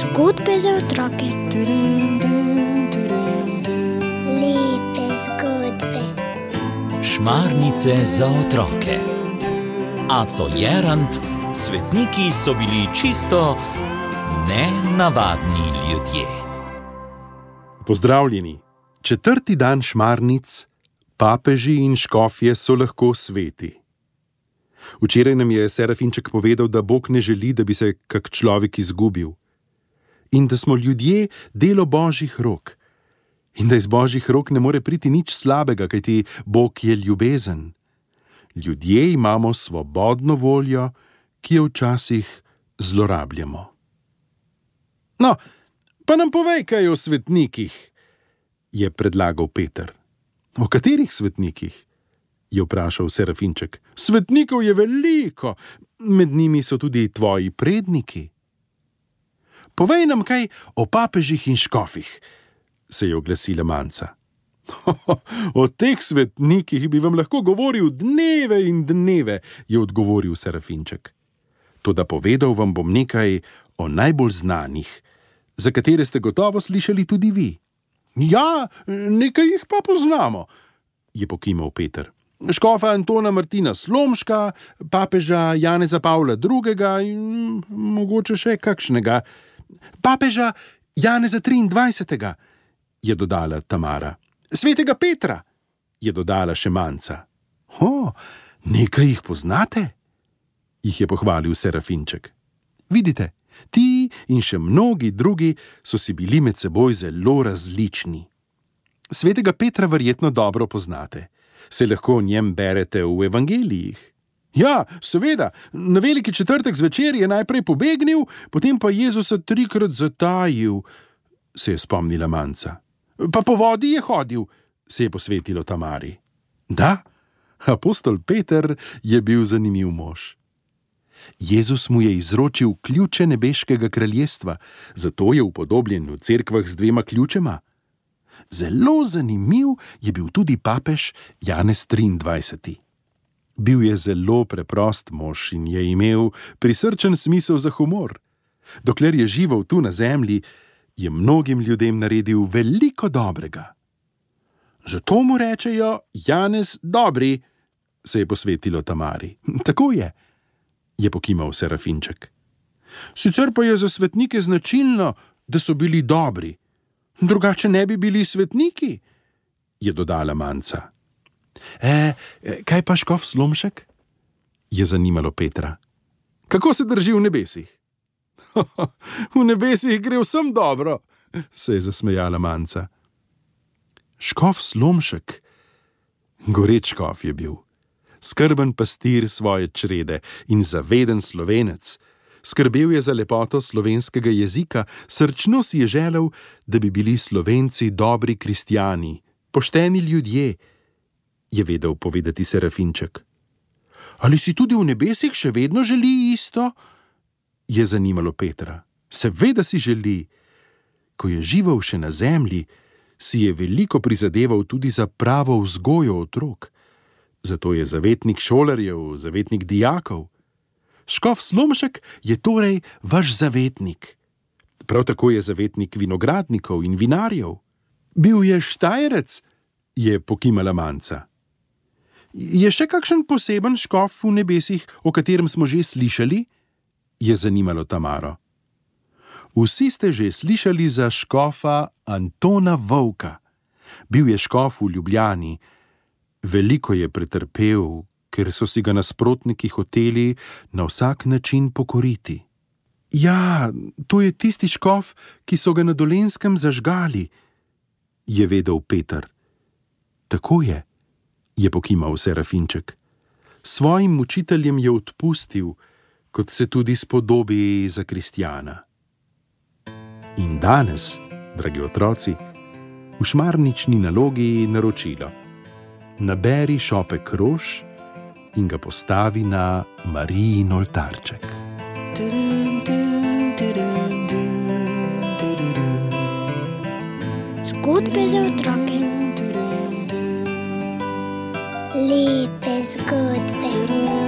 Zgodbe za otroke. Lepe zgodbe. Šmarnice za otroke. Aco Jerant, svetniki so bili čisto nenavadni ljudje. Pozdravljeni! 4. dan šmarnic, papeži in škofje so lahko sveti. Včeraj nam je Serafinček povedal, da Bog ne želi, da bi se kak človek izgubil. In da smo ljudje delo Božjih rok. In da iz Božjih rok ne more priti nič slabega, kajti Bog je ljubezen. Ljudje imamo svobodno voljo, ki jo včasih zlorabljamo. No, pa nam povej kaj o svetnikih, je predlagal Peter. O katerih svetnikih? Je vprašal Serafinček. Svetnikov je veliko, med njimi so tudi tvoji predniki. Povej nam kaj o papežih in škofih, se je oglasila Manca. O teh svetnikih bi vam lahko govoril dneve in dneve, je odgovoril Serafinček. Toda povedal vam bom nekaj o najbolj znanih, za katere ste gotovo slišali tudi vi. Ja, nekaj jih pa poznamo, je pokimal Peter. Škofa Antona Martina Slomška, papeža Janeza Pavla II. In mogoče še kakšnega. Papeža Janeza 23. je dodala Tamara. Svetega Petra, je dodala še Manca. Nekaj jih poznate? Jih je pohvalil Serafinček. Vidite, ti in še mnogi drugi so si bili med seboj zelo različni. Svetega Petra verjetno dobro poznate. Se lahko o njem berete v evangelijih. Ja, seveda, na veliki četrtek zvečer je najprej pobegnil, potem pa Jezusa 3-krat zatajil, se je spomnila Manca. Pa po vodi je hodil, se je posvetilo Tamari. Da, apostol Peter je bil zanimiv mož. Jezus mu je izročil ključe nebeškega kraljestva, zato je upodobljen v cerkvah z 2 ključema. Zelo zanimiv je bil tudi papež Janez 23. Bil je zelo preprost mož in je imel prisrčen smisel za humor. Dokler je živel tu na zemlji, je mnogim ljudem naredil veliko dobrega. Zato mu rečejo Janez Dobri, se je posvetilo Tamari. Tako je pokimal Serafinček. Sicer pa je za svetnike značilno, da so bili dobri. Drugače ne bi bili svetniki, je dodala Manca. Kaj pa škof Slomšek? Je zanimalo Petra. Kako se drži v nebesih? V nebesih gre vsem dobro, se je zasmejala Manca. Škof Slomšek, goreč škof je bil, skrben pastir svoje črede in zaveden Slovenec. Skrbel je za lepoto slovenskega jezika, srčno si je želel, da bi bili Slovenci dobri kristjani, pošteni ljudje, je vedel povedati Serafinček. Ali si tudi v nebesih še vedno želi isto? Je zanimalo Petra. Seveda si želi. Ko je živel še na zemlji, si je veliko prizadeval tudi za pravo vzgojo otrok. Zato je zavetnik šolarjev, zavetnik dijakov. Škof Slomšek je torej vaš zavetnik. Prav tako je zavetnik vinogradnikov in vinarjev. Bil je Štajerec, je pokimala Manca. Je še kakšen poseben škof v nebesih, o katerem smo že slišali? Je zanimalo Tamaro. Vsi ste že slišali za škofa Antona Vovka. Bil je škof v Ljubljani. Veliko je pretrpel, ker so si ga nasprotniki hoteli na vsak način pokoriti. Ja, to je tisti škof, ki so ga na Dolenjskem zažgali, je vedel Peter. Tako je pokimal Serafinček. Svojim mučiteljem je odpustil, kot se tudi spodobi za kristjana. In danes, dragi otroci, v šmarnični nalogi naročilo. Naberi šopek rož in ga postavi na Marijin oltarček. Zgodbe za otroke. Lepe zgodbe.